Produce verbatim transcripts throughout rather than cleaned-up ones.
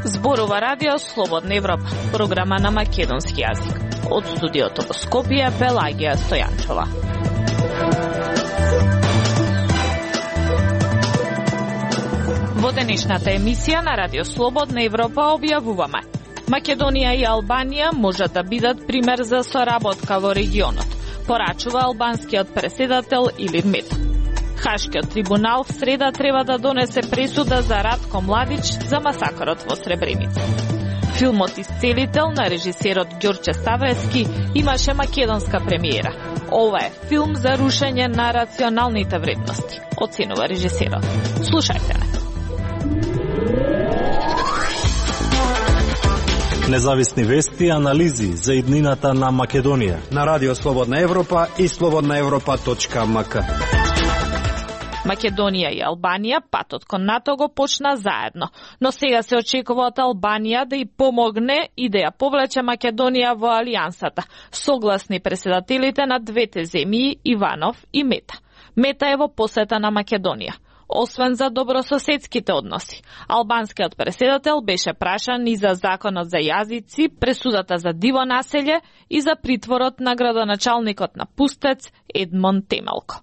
Зборува Радио Слободна Европа, програма на македонски јазик. Од студиото во Скопје, Пелагија Стојанчова. Во денешната емисија на Радио Слободна Европа објавуваме: Македонија и Албанија можат да бидат пример за соработка во регионот, порачува албанскиот преседател Илир Мета. Хашкиот трибунал в среда треба да донесе пресуда за Ратко Младич за масакрот во Сребреница. Филмот Исцелител на режисерот Ѓорче Ставевски имаше македонска премиера. Ова е филм за рушење на рационалните вредности, оценува режисерот. Слушајте ме. Независни вести и анализи за иднината на Македонија на Радио Слободна Европа и слободна европа точка ем ка. Македонија и Албанија патот кон НАТО го почна заедно, но сега се очекува од Албанија да и помогне и да ја повлече Македонија во алијансата, согласни преседателите на двете земји Иванов и Мета. Мета е во посета на Македонија. Освен за добрососедските односи, албанскиот преседател беше прашан и за законот за јазици, пресудата за диво населје и за притворот на градоначалникот на Пустец Едмон Темелко.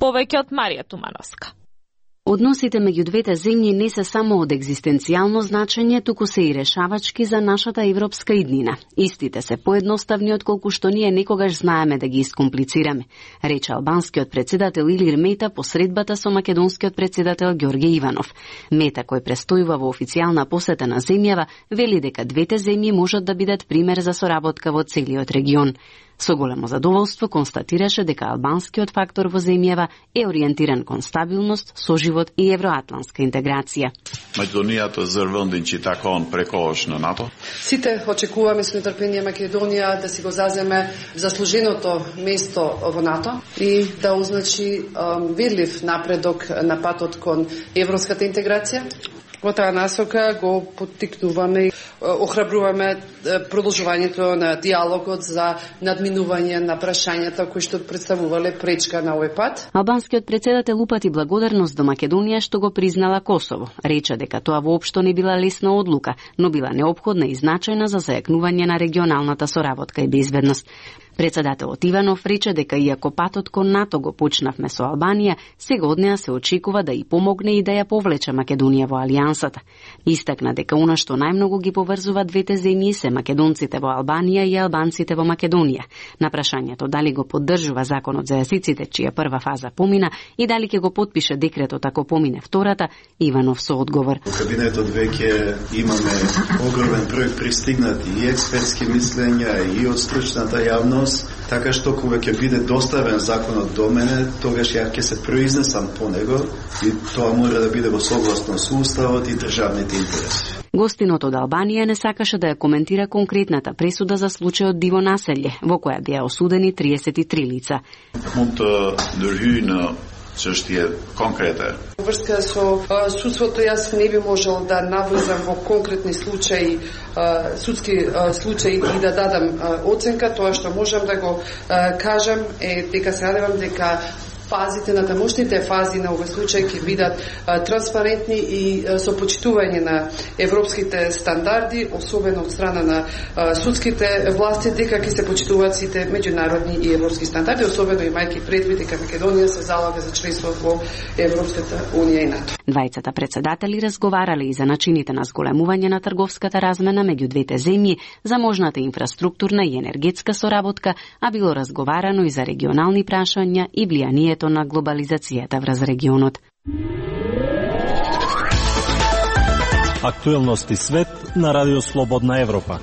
Повеќе од Марија Тумановска. Односите меѓу двете земји не се само од екзистенцијално значење, туку се и решавачки за нашата европска иднина. Истите се поедноставни отколку што ние некогаш знаеме да ги искомплицираме, рече албанскиот председател Илир Мета по средбата со македонскиот председател Ѓорѓе Иванов. Мета, кој престојува во официјална посета на земјава, вели дека двете земји можат да бидат пример за соработка во целиот регион. Со големо задоволство констатираше дека албанскиот фактор во земјава е ориентиран кон стабилност, соживот и евроатлантска интеграција. Македонијата зрвндин чи такон прекош на НАТО. Сите очекуваме со нетрпение Македонија да си го заземе заслуженото место во НАТО и да означи um, видлив напредок на патот кон европската интеграција. Во таа насока го поттикнуваме и охрабруваме продолжувањето на диалогот за надминување на прашањата кои што представувале пречка на овој пат. Албанскиот председател упати благодарност до Македонија што го признала Косово. Рече дека тоа воопшто не била лесна одлука, но била неопходна и значајна за зајакнување на регионалната соработка и безбедност. Председателот Иванов рече дека иако патот кон НАТО го почнавме со Албанија, сега од неа се очекува да и помогне и да ја повлече Македонија во алијансата. Истакна дека она што најмногу ги поврзува двете земји се македонците во Албанија и албанците во Македонија. На прашањето дали го поддржува законот за јазиците, чија прва фаза помина, и дали ќе го потпише декретот ако помине втората, Иванов со одговор. Во кабинетот веќе имаме огромен број пристигнати и експертски мислења и од стручната јавност, така што кога ќе биде доставен законот до мене, тогаш ја ќе се произнесам по него и тоа мора да биде во согласно со уставот и државните интереси. Гостинот од Албанија не сакаше да ја коментира конкретната пресуда за случајот диво населје, во која беа осудени триесет и три лица. Чештија конкретна. Врска со судството јас не би можел да навлезам во конкретни случаи, судски случаи и да дадам оценка. Тоа што можам да го кажам е дека се надевам дека фазите, натамошните фази на овој случај ќе бидат а, транспарентни и а, со почитување на европските стандарди, особено од страна на а, судските власти, дека ќе се почитуваат сите меѓународни и европски стандарди, особено имајќи предвид дека Македонија се залага за членство во Европската унија и НАТО. Двајцата председатели разговарале и за начините на зголемување на трговската размена меѓу двете земји, за можната инфраструктурна и енергетска соработка, а било разговарано и за регионални прашања и влијанието на глобализацијата врз регионот. Актуелности свет на Радио Слободна Европа.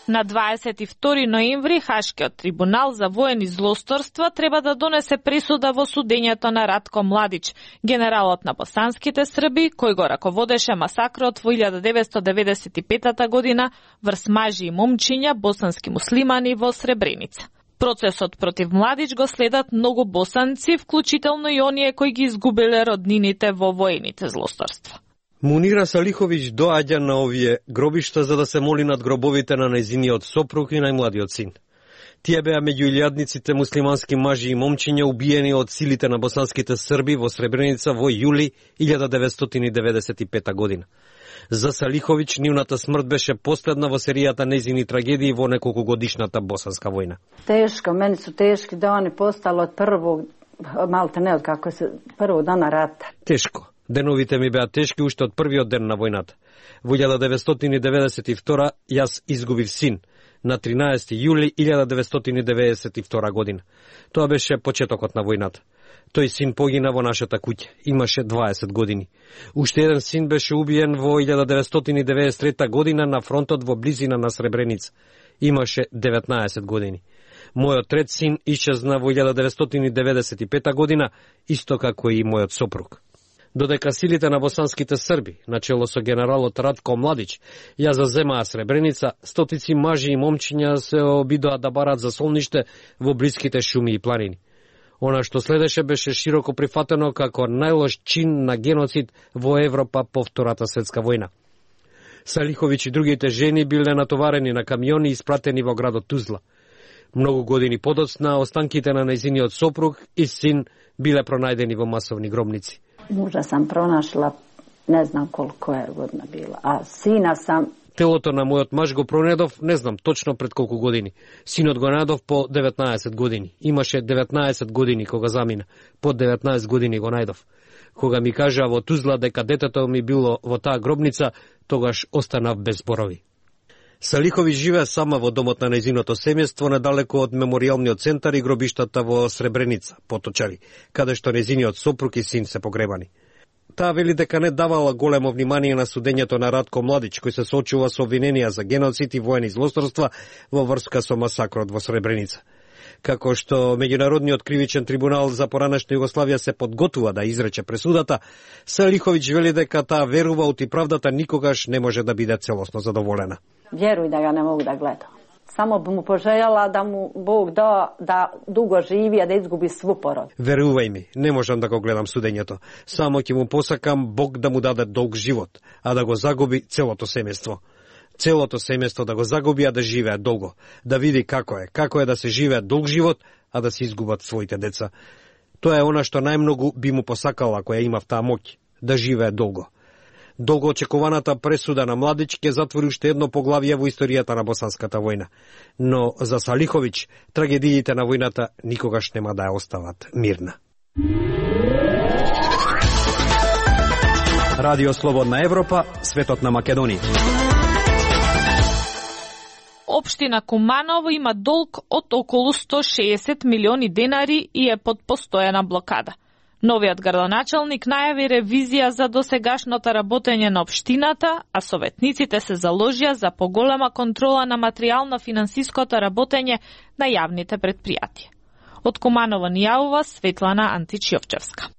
На дваесет и втори ноември Хашкиот трибунал за воени злосторства треба да донесе пресуда во судењето на Ратко Младич, генералот на босанските срби, кој го раководеше масакрот во илјада деветстотини деветдесет и петата година врз мажи и момчиња босански муслимани во Сребреница. Процесот против Младич го следат многу босанци, вклучително и оние кои ги изгубиле роднините во воените злосторства. Мунира Салиховиќ доаѓа на овие гробишта за да се моли над гробовите на нејзиниот сопруг и најмладиот син. Тие беа меѓу илјадниците муслимански мажи и момчиња убиени од силите на босанските срби во Сребреница во јули илјада деветстотини деветдесет и пета година. За Салиховиќ нивната смрт беше последна во серијата нејзини трагедии во неколкогодишната босанска војна. Тешко, мени су тешки дани постало од првог, малте не од како се првог дана рата. Тешко. Деновите ми беа тешки уште од првиот ден на војната. Во илјада деветстотини деветдесет и втора јас изгубив син на тринаесети јули илјада деветстотини деветдесет и втора година. Тоа беше почетокот на војната. Тој син погина во нашата куќа. Имаше дваесет години. Уште еден син беше убиен во илјада деветстотини деветдесет и трета година на фронтот во близина на Сребреница. Имаше деветнаесет години. Мојот трет син исчезна во илјада деветстотини деветдесет и пета година, исто како и мојот сопруг. Додека силите на босанските срби, начело со генералот Радко Младич, ја заземаа Сребреница, стотици мажи и момчиња се обидоа да барат за солниште во блиските шуми и планини. Она што следеше беше широко прифатено како најлош чин на геноцид во Европа по Втората светска војна. Салиховиќ и другите жени биле натоварени на камиони и испратени во градот Тузла. Многу години подоцна, останките на нејзиниот сопруг и син биле пронајдени во масовни гробници. Мужа сам пронашла, не знам колко е година била, а сина сам... Телото на мојот маж го пронедов, не знам точно пред колку години. Синот го најдов по деветнаесет години. Имаше деветнаесет години кога замина. По деветнаесет години го најдов. Кога ми кажа во Тузла дека детето ми било во таа гробница, тогаш останав без зборови. Салиховиќ живее сама во домот на нејзиното семејство недалеко од меморијалниот центар и гробиштата во Сребреница, Поточари, каде што нејзиниот сопруг и син се погребани. Таа вели дека не давала големо внимание на судењето на Радко Младич, кој се соочува со обвиненија за геноцид и воени злосторства во врска со масакрот во Сребреница. Како што Меѓународниот кривичен трибунал за поранешна Југославија се подготвува да изрече пресудата, Салиховиќ вели дека таа верува оти правдата никогаш не може да биде целосно задоволена. Вjeruj da ga ne mogu da gledam. Samo bi mu poželjela da mu Bog da da dugo živi, a da izgubi svu porod. Верувај ми, не можам да го гледам судењето. Само ќе му посакам Бог да му даде долг живот, а да го загуби целото семејство. Целото семејство да го загуби, а да живее долго. Да види како е, како е да се живее долг живот, а да се изгубат своите деца. Тоа е она што најмногу би му посакала ако ја има в таа моќ, да живее долго. Долго очекуваната пресуда на Младич ќе затвори уште едно поглавје во историјата на босанската војна. Но за Салиховиќ трагедиите на војната никогаш нема да ја остават мирна. Радио Слободна Европа, светот на Македонија. Општина Куманово има долг од околу сто шеесет милиони денари и е под постојана блокада. Новиот градоначалник најави ревизија за досегашното работење на општината, а советниците се заложија за поголема контрола на материјално-финансиското работење на јавните предпријатија. Од Куманово ни јавува Светлана Антич-Јовчевска.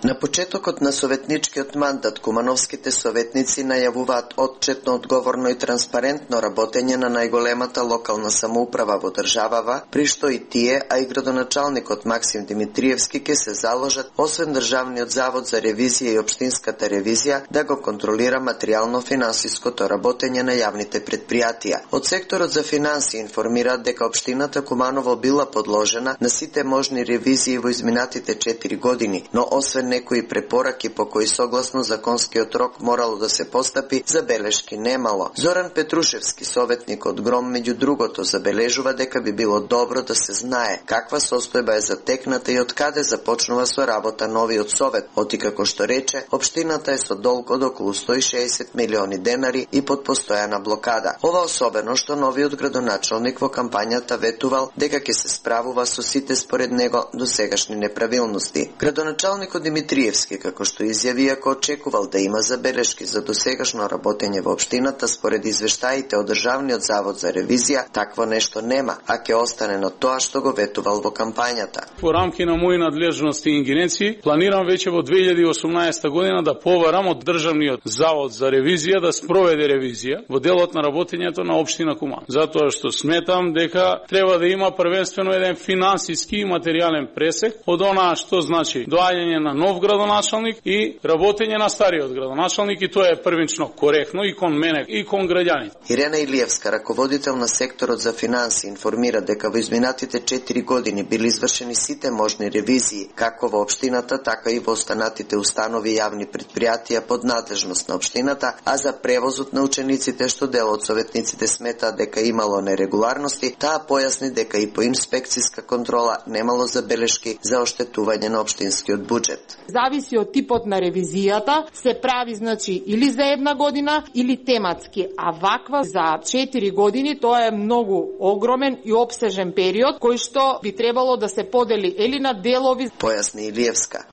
На почетокот на советничкиот мандат кумановските советници најавуваат отчетно, одговорно и транспарентно работење на најголемата локална самоуправа во државава, при што и тие, а и градоначалникот Максим Димитриевски ке се заложат, освен Државниот завод за ревизија и општинската ревизија, да го контролира материјално-финансиското работење на јавните предпријатија. Од секторот за финансии информираат дека општината Куманово била подложена на сите можни ревизии во изминатите четири години, но освен некои препораки по кои согласно законскиот рок морало да се постапи, забелешки немало. Зоран Петрушевски, советник од Гром, меѓу другото, забележува дека би било добро да се знае каква состојба е затекната и од каде започнува со работа новиот совет, оти како што рече, општината е со долг од околу сто и шеесет милиони денари и под постојана блокада. Ова особено што новиот градоначалник во кампањата ветувал дека ќе се справува со сите според него досегашни неправилности. Градоначалникот Димитриевски, како што изјави, ако очекувал да има забелешки за досегашно работење во општината според извештаите од Државниот завод за ревизија, такво нешто нема, а ќе остане на тоа што го ветувал во кампањата. Во рамки на мои надлежности и ингеренции, планирам веќе во две илјади и осумнаесета година да побарам од Државниот завод за ревизија да спроведе ревизија во делот на работењето на општина Куман. Затоа што сметам дека треба да има првенствено еден финансиски и материјален пресек од онаа што значи доаѓање на нов градоначалник и работење на стариот градоначалник, и тоа е првично коректно и кон мене и кон граѓаните. Ирена Илиевска, раководител на секторот за финанси, информира дека во изминатите четири години били извршени сите можни ревизии, како во општината, така и во останатите установи и јавни предпријатија под надлежност на општината, а за превозот на учениците, што дел од советниците сметаат дека имало нерегуларности, таа појасни дека и по инспекциска контрола немало забелешки за оштетување на општинскиот буџет. Зависи од типот на ревизијата, се прави значи или за една година или тематски, а ваква за четири години тоа е многу огромен и обсежен период кој што би требало да се подели или на делови. Појасни Илиевска.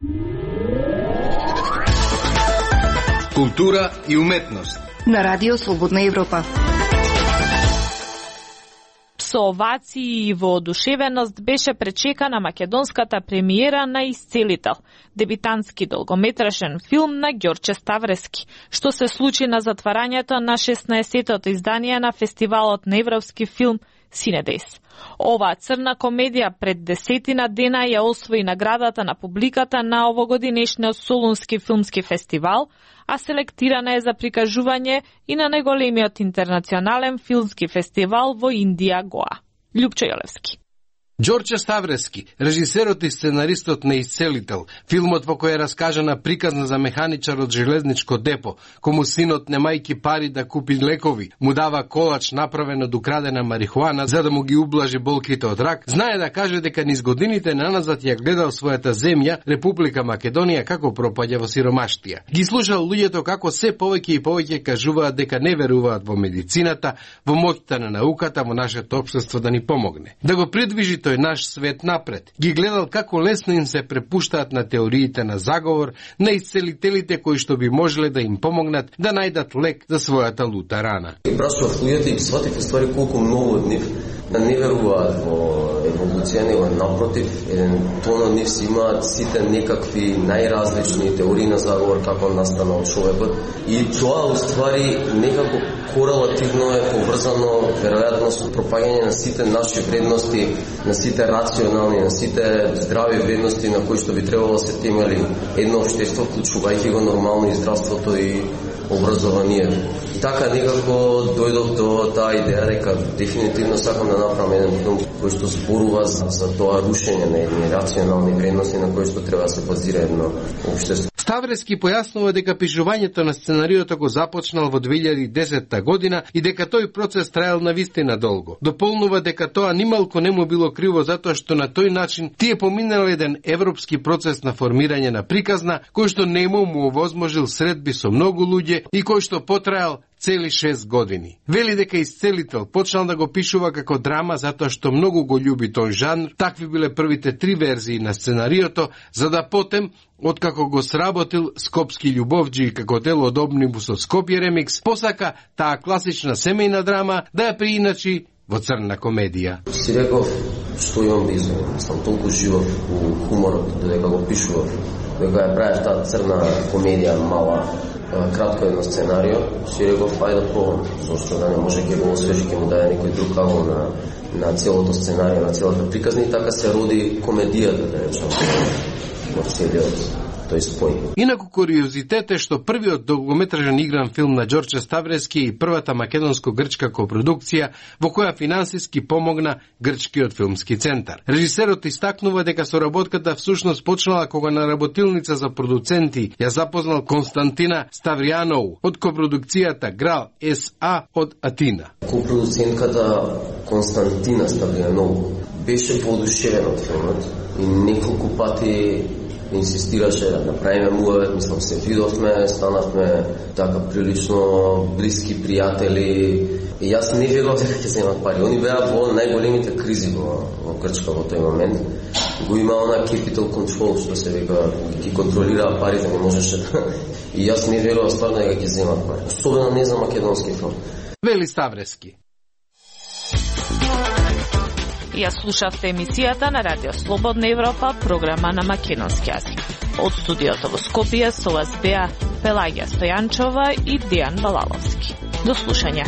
Култура и уметност на Радио Слободна Европа. Со овации и воодушевеност беше пречекана македонската премиера на Исцелител, дебитантски долгометражен филм на Ѓорче Ставрески, што се случи на затварањето на шеснаесеттото издание на фестивалот на европски филм Синедес. Оваа црна комедија пред десетина дена ја освои наградата на публиката на овогодинешниот Солунски филмски фестивал, а селектирана е за прикажување и на најголемиот интернационален филмски фестивал во Индија Гоа. Љупчо Јолевски. Ѓорче Ставрески, режисерот и сценаристот на Исцелител, филмот во кој е раскажана приказна за механичар од железничко депо, кому синот немајки пари да купи лекови, му дава колач направен од украдена марихуана за да му ги ублажи болките од рак, знае да каже дека низ годините наназад ја гледал својата земја, Република Македонија, како пропаѓа во сиромаштија. Ги слушал луѓето како се повеќе и повеќе кажуваат дека не веруваат во медицината, во моќта на науката, во нашето општество да ни помогне. Да го придвижи тој наш свет напред. Ги гледал како лесно им се препуштаат на теориите на заговор, на исцелителите кои што би можеле да им помогнат да најдат лек за својата лута рана. И прашував луѓето и сватив ствари колку многу од нив да не веруваат во еволуција, него напротив, еден тон од нив си имаат сите некакви најразлични теории на заговор како настанал човекот, и тоа уствари некако корелативно е поврзано веројатно со пропагање на сите наши вредности, на сите рационални, на сите здрави вредности на кои што би требало да се темели едно општество, вклучувајќи го нормално и здравството и образованието. И така некако дојдов до таа идеја дека дефинитивно сакам да направам еден филм кој што зборува за, за тоа рушење на едни рационални вредности на кои што треба да се базира едно општество. Ставрески појаснува дека пишувањето на сценариото го започнал во две илјади и десета година и дека тој процес траел навистина долго. Дополнува дека тоа нималку не му било криво затоа што на тој начин тие поминал еден европски процес на формирање на приказна кој што нему му овозможил средби со многу луѓе и кој што потраел цели шест години. Вели дека Исцелител почнал да го пишува како драма затоа што многу го љуби тој жанр. Такви биле првите три верзии на сценариото, за да потем, откако го сработил Скопски љубовџи како дел од омнибусот Скопје ремикс, посака таа класична семејна драма да ја прииначи во црна комедија. Си реков што имам да изменам. Сам толку живов у хуморот, додека го пишував, дека ја правев таа црна комедија мала, кратко едно сценарио, си реков ајде да пробам, зашто да не може ќе го освежи, ќе му даде некој друг агол на на целото сценарио, на целата приказна, и така се роди комедијата, да речем, во целиот тој спој. Инаку куриозитет е што првиот долгометражен игран филм на Ѓорче Ставрески и првата македонско-грчка копродукција во која финансиски помогна Грчкиот филмски центар. Режисерот истакнува дека соработката всушност почнала кога на работилница за продуценти ја запознал Константина Ставријанову од копродукцијата Грал Ес А од Атина. Копродуцентката Константина Ставријанову беше воодушевена од филмот и неколку пати инсистираше да направиме муавет, мислам се видовме, станавме така прилично блиски пријатели, и јас не верував дека ќе земат пари. Они беа во најголемите кризи во, во Грчка во тој момент. Го има она capital control, што се века, ги контролира парите, не можеше да... И јас не верував стварно дека ќе земат пари. Особено не за македонски филм. Вели Ставрески. Ја слушавте емисијата на Радио Слободна Европа, програма на македонски јазик. Од студиото во Скопје со вас беа Пелагија Стојанчова и Дејан Балаловски. До слушање.